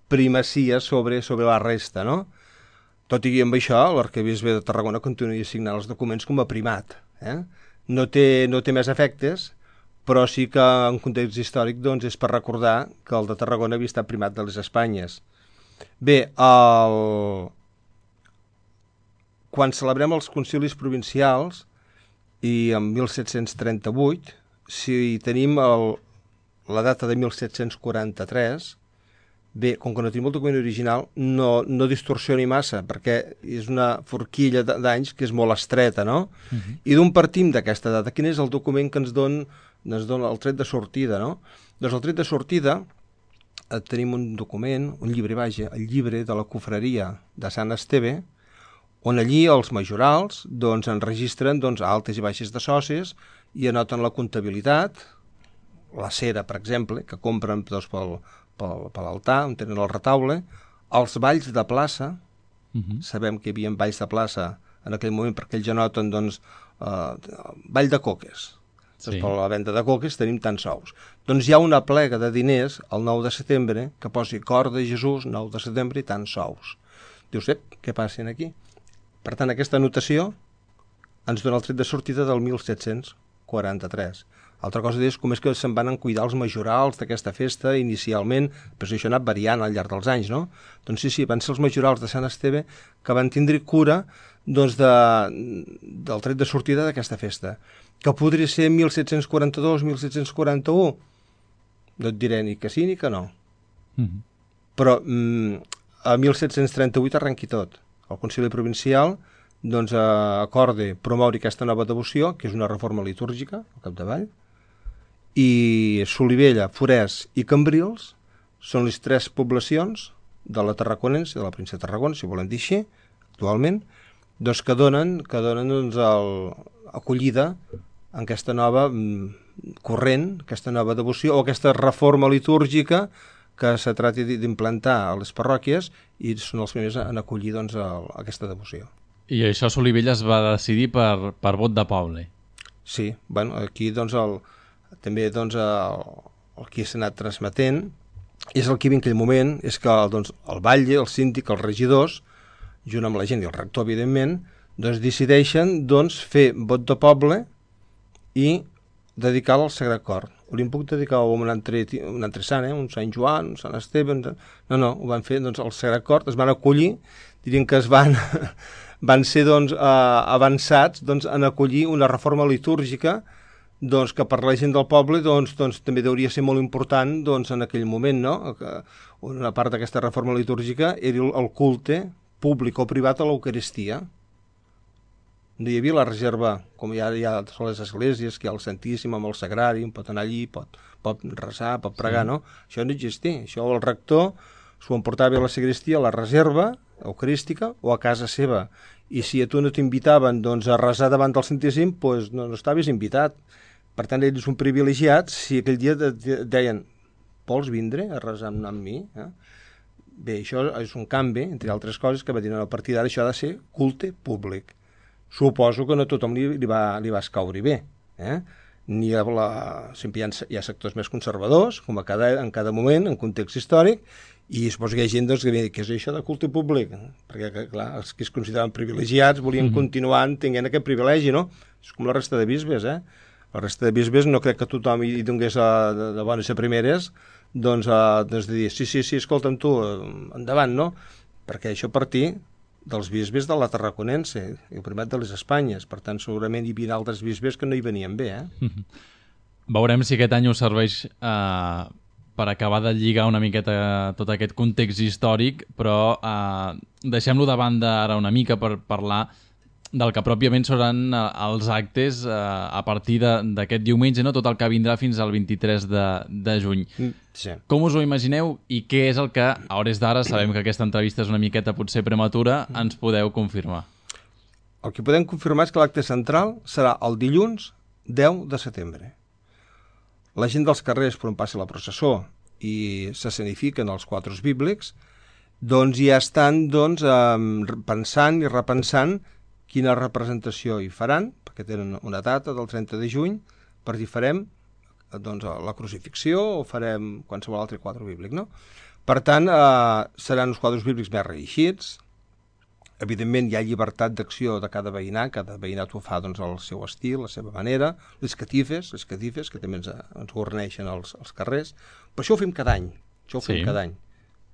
primacia sobre la resta, no? Tot i amb això, l'arquebisbe de Tarragona continua signant els documents com a primat. No té més efectes, però sí que en context històric és per recordar que el de Tarragona havia estat primat de les Espanyes. Bé, quan celebrem els concilis provincials, i en 1738, si tenim la data de 1743, bé, com que no tenim el document original, no distorsioni massa, perquè és una forquilla d'anys que és molt estreta, no? I d'on partim d'aquesta data? Quin és el document que ens dona el tret de sortida, no? Doncs el tret de sortida tenim un document, un llibre, el llibre de la cofreria de Sant Esteve, on allí els majorals enregistren altes i baixes de socis i anoten la comptabilitat, la cera, per exemple, que compren per l'altar, on tenen el retaule, els balls de plaça, sabem que hi havia balls de plaça en aquell moment perquè ells anoten ball de coques. Per la venda de coques tenim tants sous. Doncs hi ha una plega de diners el 9 de setembre que posi Cor de Jesús, 9 de setembre i tants sous. Dius, què passa aquí? Per tant, aquesta anotació ens dona el tret de sortida del 1743. Altra cosa és com és que se'n van cuidar els majorals d'aquesta festa inicialment, però això ha anat variant al llarg dels anys, no? Doncs sí, van ser els majorals de Sant Esteve que van tindre cura del tret de sortida d'aquesta festa. Que podria ser 1742, 1741? No et diré ni que sí ni que no. Però a 1738 arrenqui tot. El Concili Provincial acorde promoure aquesta nova devoció, que és una reforma litúrgica, al capdavall, i Solivella, Forès i Cambrils són les 3 poblacions de la Tarraconense, de la província de Tarragona, si volem dir així, actualment, que donen acollida en aquesta nova corrent, aquesta nova devoció o aquesta reforma litúrgica que se trati d'implantar a les parròquies i són els primers en acollir aquesta devoció. I això a Solivella es va decidir per vot de poble. Sí, aquí també el que s'ha anat transmetent és el que hi havia en aquell moment, és que el batlle, el síndic, els regidors, junt amb la gent i el rector, evidentment, decideixen fer vot de poble i dedicar-lo al Sagrat Cor. Li puc dedicar a un altre sant, un Sant Joan, un Sant Esteve... No, ho van fer al Sagrat Cor, es van acollir, dirien que van ser avançats en acollir una reforma litúrgica que per la gent del poble també hauria ser molt important en aquell moment, no? Una part d'aquesta reforma litúrgica era el culte públic o privat a l'Eucaristia. No hi havia la reserva, com hi ha a les esglésies, que hi ha el Santíssim amb el Sagrari, pot anar allí, pot resar, pot pregar, no? Això no existia. Això el rector s'ho emportava a la sagristia, a la reserva eucarística o a casa seva. I si a tu no t'invitaven a resar davant del Santíssim, no estaves invitat. Per tant, eres un privilegiat si aquell dia deien vols vindre a resar amb mi? Bé, això és un canvi, entre altres coses, que va dir, a partir d'ara això ha de ser culte públic. Suposo que no a tothom li va escaure bé. Sempre hi ha sectors més conservadors, com en cada moment, en context històric, i suposo que hi ha gent que diu, què és això de culte públic? Perquè, clar, els que es consideraven privilegiats volien continuar tenint aquest privilegi, no? És com la resta de bisbes, La resta de bisbes no crec que tothom hi donés de bones a primeres, doncs de dir, sí, escolta'm tu, endavant, no? Perquè això partir dels bisbes de la Tarraconense, el primat de les Espanyes, per tant segurament hi havia altres bisbes que no hi venien bé, Veurem si aquest any us serveix per acabar de lligar una miqueta tot aquest context històric, però deixem-lo de banda ara una mica per parlar del que pròpiament seran els actes a partir d'aquest diumenge, no? Tot el que vindrà fins al 23 de juny. Sí. Com us ho imagineu i què és el que, a hores d'ara, sabem que aquesta entrevista és una miqueta potser prematura, ens podeu confirmar? El que podem confirmar és que l'acte central serà el dilluns 10 de setembre. La gent dels carrers per on passa la processó i s'escenifiquen els quadres bíblics, doncs ja estan pensant i repensant quina representació hi faran, perquè tenen una data del 30 de juny, per dir farem la crucifixió o farem qualsevol altre quadre bíblic, no? Per tant, seran uns quadres bíblics més reeixits. Evidentment, hi ha llibertat d'acció de cada veïnat ho fa al seu estil, a la seva manera. Les catifes, que també ens guarneixen els carrers. Però això ho fem cada any. Cada any.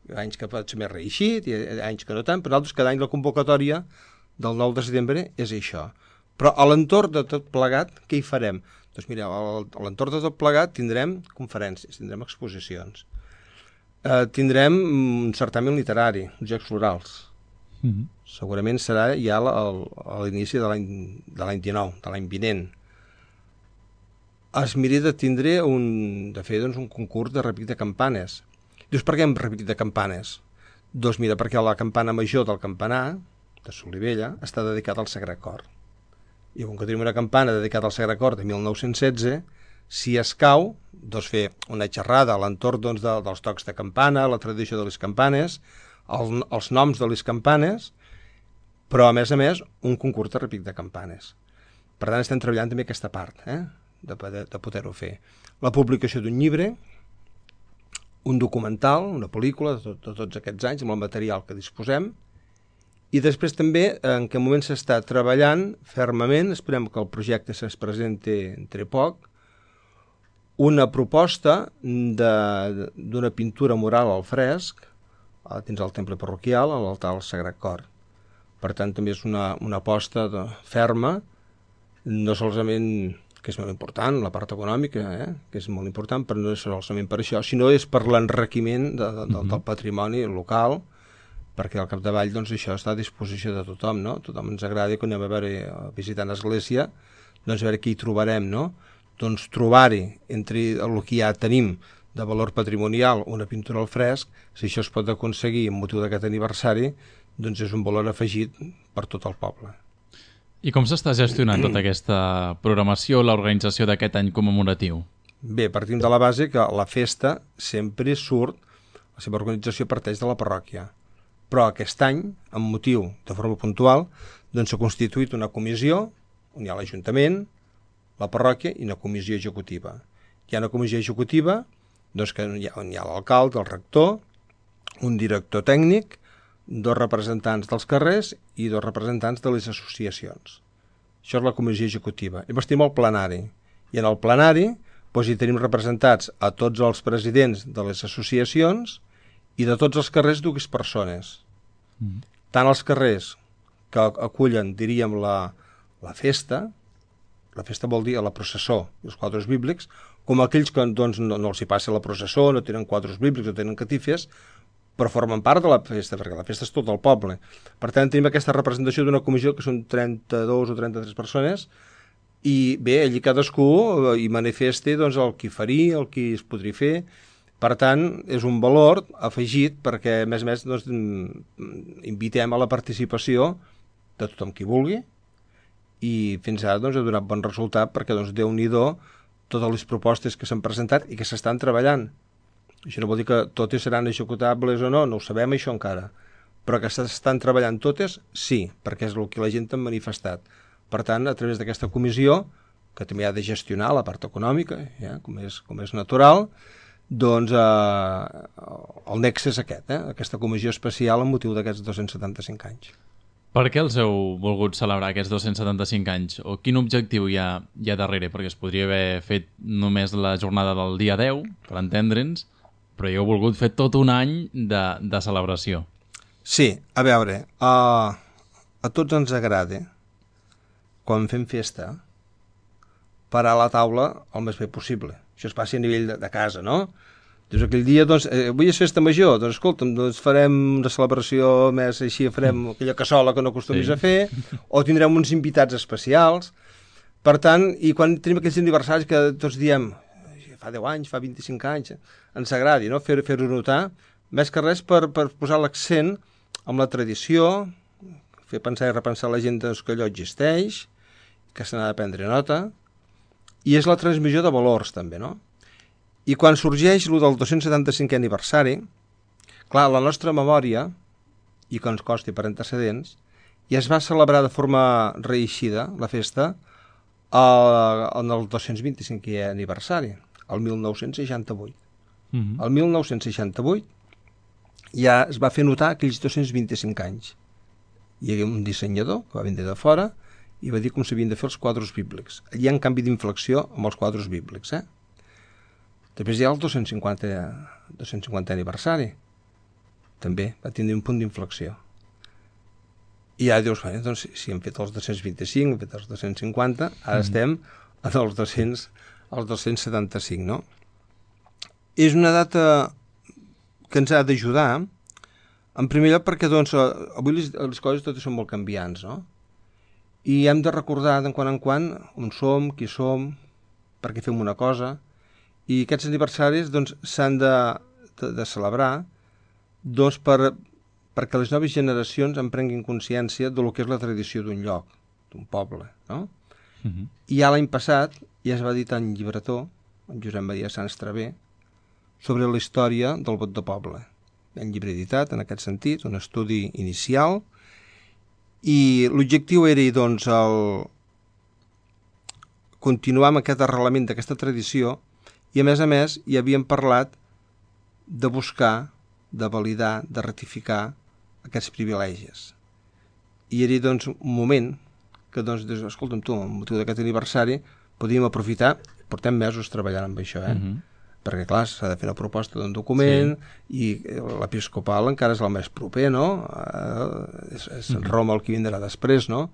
Hi ha anys que pot ser més reeixit, hi ha anys que no tant, però nosaltres cada any la convocatòria del 9 de setembre és això. Però a l'entorn de tot plegat, què hi farem? Doncs mireu, a l'entorn de tot plegat tindrem conferències, tindrem exposicions, tindrem un certamen literari, uns Jocs Florals. Segurament serà ja a l'inici de l'any 19, de l'any vinent. Es mira de tindre de fer un concurs de repic de campanes. Dius, per què hem repic de campanes? Doncs mira, perquè la campana major del campanar de Solivella està dedicada al Sagrat Cor. I com que tenim una campana dedicada al Sagrat Cor de 1916, si escau, doncs fer una xerrada a l'entorn dels tocs de campana, la tradició de les campanes, els noms de les campanes, però a més, un concurs de repic de campanes. Per tant, estem treballant també aquesta part, de poder-ho fer. La publicació d'un llibre, un documental, una pel·lícula de tots aquests anys, amb el material que disposem, i després també, en què moment s'està treballant fermament, esperem que el projecte se'ns presenti entre poc, una proposta d'una pintura mural al fresc dins el temple parroquial, a l'altar del Sagrat Cor. Per tant, també és una aposta ferma, no solament, que és molt important, la part econòmica, que és molt important, però no és solament per això, sinó és per l'enriquiment del patrimoni local, perquè al capdavall això està a disposició de tothom, no? Tothom ens agrada quan anem a visitar l'església, doncs a veure què hi trobarem, no? Doncs trobar-hi, entre el que ja tenim de valor patrimonial, una pintura al fresc, si això es pot aconseguir amb motiu d'aquest aniversari, doncs és un valor afegit per tot el poble. I com s'està gestionant tota aquesta programació, l'organització d'aquest any commemoratiu? Bé, partim de la base que la festa sempre surt, la seva organització parteix de la parròquia. Però aquest any, amb motiu de forma puntual, doncs s'ha constituït una comissió on hi ha l'Ajuntament, la parròquia i una comissió executiva. Hi ha una comissió executiva doncs, on hi ha l'alcalde, el rector, un director tècnic, 2 representants dels carrers i 2 representants de les associacions. Això és la comissió executiva. Llavors tenim el plenari. I en el plenari doncs, hi tenim representats a tots els presidents de les associacions i de tots els carrers 2 persones. Tant els carrers que acullen, diríem, la festa vol dir la processó, els quadres bíblics, com aquells que doncs, no els hi passa la processó, no tenen quadres bíblics, no tenen catifes, però formen part de la festa, perquè la festa és tot el poble. Per tant, tenim aquesta representació d'una comissió que són 32 o 33 persones, i bé, allí cadascú hi manifesta doncs, el que faria, el que es podria fer. Per tant, és un valor afegit perquè, a més, doncs, invitem a la participació de tothom qui vulgui i fins ara doncs, ha donat bon resultat perquè, doncs, Déu-n'hi-do totes les propostes que s'han presentat i que s'estan treballant. Això no vol dir que totes seran executables o no ho sabem això encara. Però que s'estan treballant totes, sí, perquè és el que la gent ha manifestat. Per tant, a través d'aquesta comissió, que també ha de gestionar la part econòmica, com és natural, doncs el nexe és aquest, aquesta comissió especial amb motiu d'aquests 275 anys. Per què els heu volgut celebrar aquests 275 anys? O quin objectiu hi ha darrere? Perquè es podria haver fet només la jornada del dia 10, per entendre'ns, però hi heu volgut fer tot un any de celebració. Sí, a veure, a tots ens agrada, quan fem festa, parar a la taula el més bé possible. Això es passi a nivell de casa, no? Doncs aquell dia, doncs, avui és festa major, doncs escolta'm, doncs farem una celebració més així, farem aquella cassola que no acostumis a fer, o tindrem uns invitats especials. Per tant, i quan tenim aquells aniversaris que tots diem, fa 10 anys, fa 25 anys, ens agradi, no? Fer-ho notar, més que res per posar l'accent amb la tradició, fer pensar i repensar la gent que allò existeix, que se n'ha de prendre nota, i és la transmissió de valors també, no? I quan sorgeix el del 275è aniversari, clar, la nostra memòria, i que ens costi per antecedents, ja es va celebrar de forma reeixida, la festa, en el 225è aniversari, el 1968. El 1968 ja es va fer notar aquells 225 anys. Hi havia un dissenyador que va vindre de fora i va dir com s'havien de fer els quadres bíblics. Hi ha un canvi d'inflexió amb els quadres bíblics, Després hi ha el 250è aniversari. També va tindre un punt d'inflexió. I ja dius, doncs, si hem fet els 225, hem fet els 250, ara estem en els 275, no? És una data que ens ha d'ajudar, en primer lloc perquè, doncs, avui les coses totes són molt canviants, no? I hem de recordar de quan en quan on som, qui som, per què fem una cosa. I aquests aniversaris doncs, s'han de celebrar doncs, perquè les noves generacions en prenguin consciència del que és la tradició d'un lloc, d'un poble. No? I ja l'any passat ja es va editar un llibretó, en Josep Maria Sans Travé, sobre la història del vot de poble. Un llibre editat, en aquest sentit, un estudi inicial, i l'objectiu era doncs, continuar amb aquest arrelament d'aquesta tradició. I a més, hi havíem parlat de buscar, de validar, de ratificar aquests privilegis. I era, doncs, un moment que, doncs, escolta'm tu, amb motiu d'aquest aniversari, podíem aprofitar, portem mesos treballant amb això, perquè, clar, s'ha de fer una proposta d'un document, i l'episcopal encara és el més proper, no? És Roma el que vindrà després, no?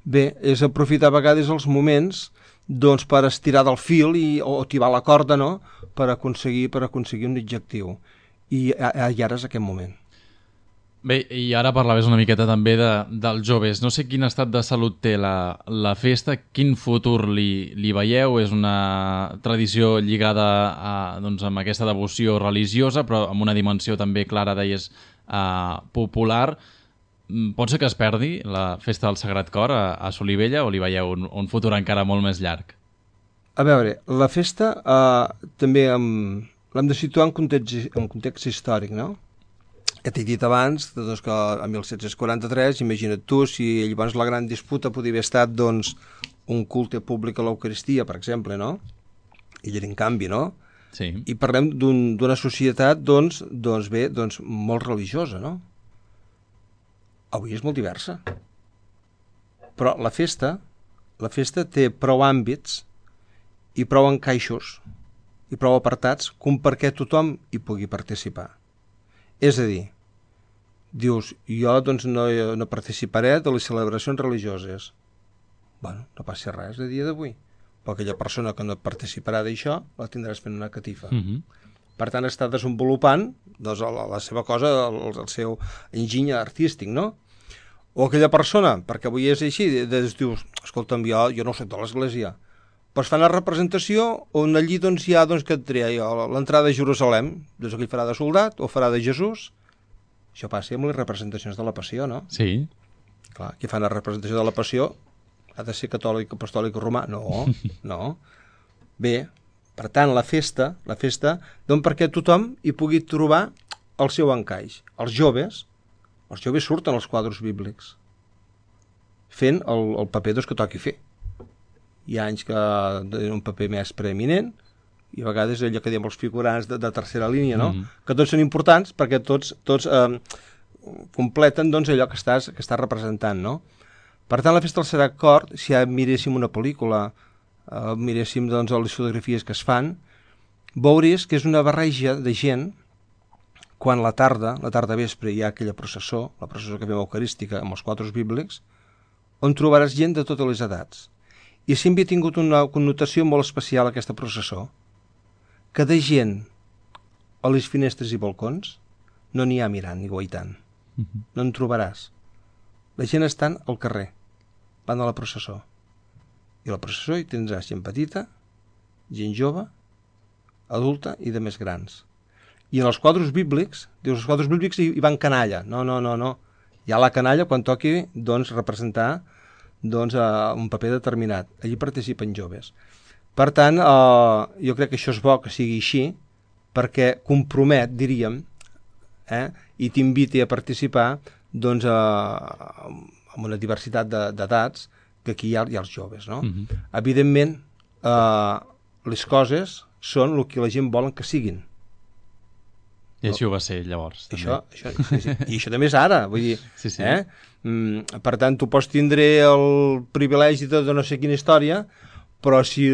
Bé, és aprofitar a vegades els moments doncs per estirar del fil o tibar la corda, no? per aconseguir un objectiu. I ara és aquest moment. Bé, i ara parlaves una miqueta també dels joves. No sé quin estat de salut té la festa, quin futur li veieu. És una tradició lligada doncs, amb aquesta devoció religiosa, però amb una dimensió també clara, deies, popular. Pot ser que es perdi la festa del Sagrat Cor a Solivella o li veieu un futur encara molt més llarg? A veure, la festa també l'hem de situar en context històric, no? Que t'he dit abans doncs, que a 1743, imagina't tu, si llavors la gran disputa podia haver estat doncs, un culte públic a l'Eucaristia, per exemple, no? I era en canvi, no? Sí. I parlem d'una societat doncs, molt religiosa, no? Avui és molt diversa. Però la festa té prou àmbits i prou encaixos i prou apartats com perquè tothom hi pugui participar. És a dir, dius, jo doncs, no participaré de les celebracions religioses. Bueno, no passa res a dia d'avui. Però aquella persona que no participarà d'això la tindràs fent una catifa. Per tant, està desenvolupant doncs, la seva cosa, el seu enginy artístic, no? O aquella persona, perquè avui és així, dius, escolta'm, jo no soc de l'església, però es fa una representació on allí doncs, hi ha, que et tria l'entrada a Jerusalem, doncs aquell farà de soldat o farà de Jesús. Això passa amb les representacions de la Passió, no? Sí. Clar, qui fa una representació de la Passió ha de ser catòlic, apostòlic o romà? No, no. Bé, Per tant, la festa, doncs perquè tothom hi pugui trobar el seu encaix. Els joves surten als quadres bíblics, fent el paper que toqui fer. Hi ha anys que tenen un paper més preeminent, i a vegades allò que diem els figurants de tercera línia, no? Que tots són importants perquè tots completen doncs, allò que estàs representant, no? Per tant, la festa del Sagrat Cor, si ja miréssim una pel·lícula, miréssim doncs, les fotografies que es fan, veuries que és una barreja de gent. Quan la tarda vespre, hi ha aquella processó, la processó que fem eucarística amb els quadres bíblics, on trobaràs gent de totes les edats. I sempre ha tingut una connotació molt especial aquesta processó, que de gent a les finestres i balcons no n'hi ha mirant ni guaitant. No en trobaràs. La gent estan al carrer, van a la processó. I a la processó hi tindràs gent petita, gent jove, adulta i de més grans. I en els quadres bíblics, dius, els quadres bíblics hi van canalla. No. Hi ha la canalla quan toqui doncs, representar un paper determinat. Allí participen joves. Per tant, jo crec que això és bo que sigui així, perquè compromet, diríem, i t'inviti a participar doncs, amb una diversitat d'edats, que aquí hi ha els joves. No? Evidentment, les coses són el que la gent volen que siguin. I així ho va ser, llavors. I això també és ara, vull dir, sí. Per tant, tu pots tindre el privilegi de no sé quina història, però si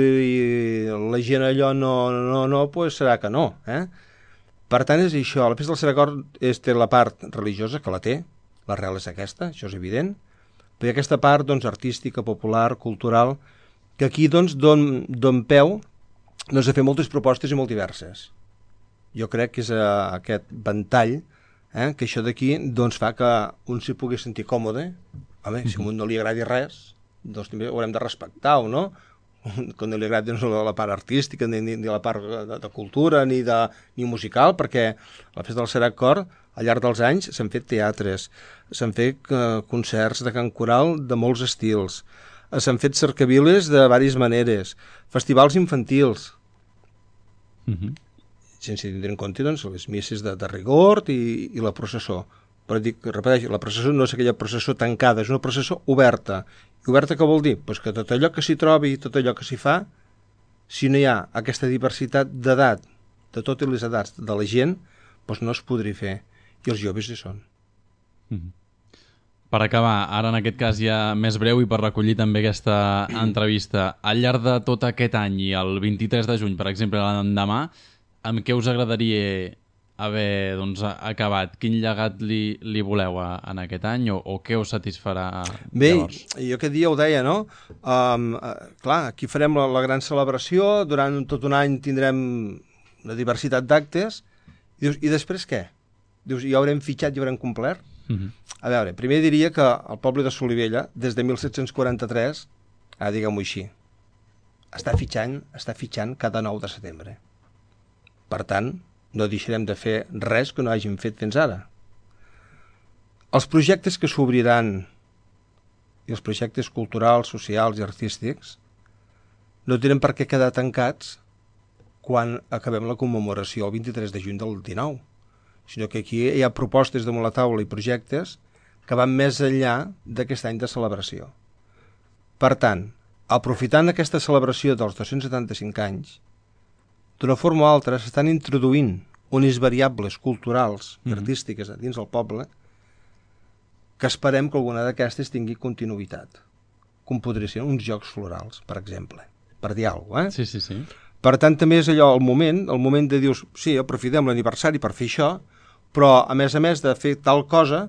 la gent allò no, pues serà que no. Per tant, és això, la festa del Sagrat Cor té la part religiosa, que la té, l'arrel és aquesta, això és evident, però hi ha aquesta part doncs, artística, popular, cultural, que aquí doncs, don peu a fer moltes propostes i molt diverses. Jo crec que és aquest ventall que això d'aquí doncs, fa que un s'hi pugui sentir còmode. Home, si a un no li agradi res, doncs també ho haurem de respectar-ho, no? Que no li agradi la part artística, ni la part de cultura, ni musical, perquè la festa del Sagrat Cor, al llarg dels anys, s'han fet teatres, s'han fet concerts de cant coral de molts estils, s'han fet cercaviles de diverses maneres, festivals infantils, sense tindre en compte doncs, les misses de rigor i la processó. Però repeteixo, la processó no és aquella processó tancada, és una processó oberta. I oberta què vol dir? Pues que tot allò que s'hi trobi, tot allò que s'hi fa, si no hi ha aquesta diversitat d'edat, de totes les edats de la gent, doncs no es podria fer. I els joves hi són. Per acabar, ara en aquest cas ja més breu i per recollir també aquesta entrevista, al llarg de tot aquest any i el 23 de juny, per exemple, l'endemà, amb què us agradaria haver acabat? Quin llegat li voleu en aquest any o què us satisfarà llavors? Bé, jo aquest dia ho deia, no? Clar, aquí farem la gran celebració, durant tot un any tindrem una diversitat d'actes, i després què? Dius, ja haurem fitxat, ja haurem complert? A veure, primer diria que el poble de Solivella, des de 1743, diguem-ho així, està fitxant cada 9 de setembre. Per tant, no deixarem de fer res que no hàgim fet fins ara. Els projectes que s'obriran, i els projectes culturals, socials i artístics, no tenen per què quedar tancats quan acabem la commemoració el 23 de juny del 19, sinó que aquí hi ha propostes damunt la taula i projectes que van més enllà d'aquest any de celebració. Per tant, aprofitant aquesta celebració dels 275 anys, d'una forma o altra s'estan introduint unes variables culturals i artístiques dins del poble que esperem que alguna d'aquestes tingui continuïtat, com podria ser uns jocs florals, per exemple, per dir alguna cosa. Sí. Per tant, també és allò el moment de dir, sí, aprofitem l'aniversari per fer això, però a més de fer tal cosa,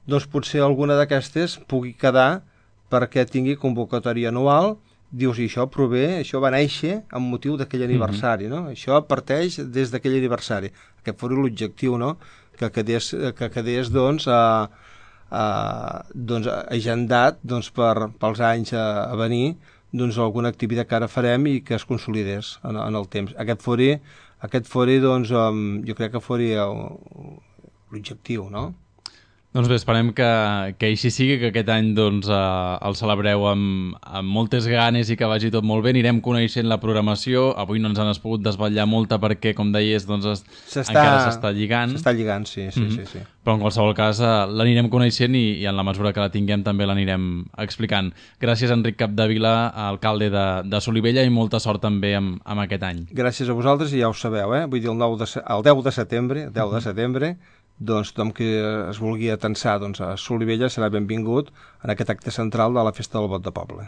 doncs potser alguna d'aquestes pugui quedar perquè tingui convocatòria anual. Dius, i això va néixer amb motiu d'aquell aniversari, no? Això parteix des d'aquell aniversari. Aquest fos l'objectiu, no? Que quedés doncs, agendat doncs, pels anys a venir doncs, alguna activitat que ara farem i que es consolidés en el temps. Aquest fori doncs, jo crec que fori l'objectiu, no? Doncs bé, esperem que així sigui, que aquest any doncs, el celebreu amb moltes ganes i que vagi tot molt bé. Anirem coneixent la programació. Avui no ens han pogut desvetllar molta perquè, com deies, doncs, encara s'està lligant. S'està lligant, sí. Però en qualsevol cas l'anirem coneixent i en la mesura que la tinguem també l'anirem explicant. Gràcies, Enric Capdevila, alcalde de Solivella, i molta sort també amb aquest any. Gràcies a vosaltres, i ja ho sabeu, vull dir, el 10 de setembre, doncs tothom que es vulgui atensar a Solivella serà benvingut en aquest acte central de la Festa del Bot de Poble.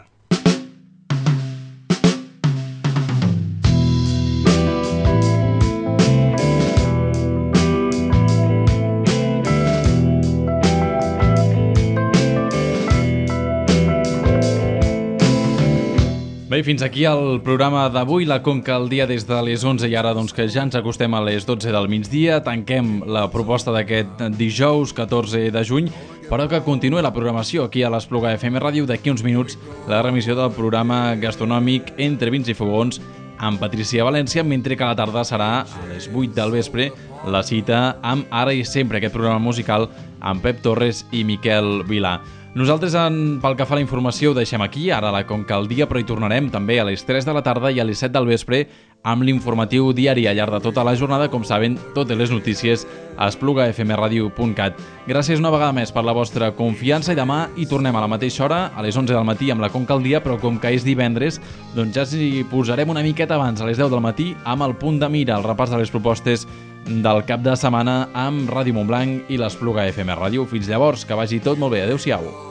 Bé, fins aquí el programa d'avui, la Conca al dia des de les 11, i ara doncs, que ja ens acostem a les 12 del migdia, tanquem la proposta d'aquest dijous 14 de juny, però que continuï la programació aquí a l'Espluga FM Ràdio. D'aquí uns minuts la remissió del programa gastronòmic Entre Vins i Fogons amb Patricia València, mentre que a la tarda serà a les 8 del vespre la cita amb Ara i Sempre, aquest programa musical amb Pep Torres i Miquel Vilà. Nosaltres, pel que fa a la informació, ho deixem aquí, ara a la Conca al dia, però hi tornarem també a les 3 de la tarda i a les 7 del vespre amb l'informatiu diari al llarg de tota la jornada. Com saben, totes les notícies a esplugafmradio.cat. Gràcies una vegada més per la vostra confiança, i demà hi tornem a la mateixa hora, a les 11 del matí, amb la Conca al dia, però com que és divendres, doncs ja s'hi posarem una miqueta abans, a les 10 del matí, amb el Punt de Mira, el repàs de les propostes del cap de setmana amb Ràdio Montblanc i l'Espluga FM Ràdio. Fins llavors, que vagi tot molt bé. Adéu-siau.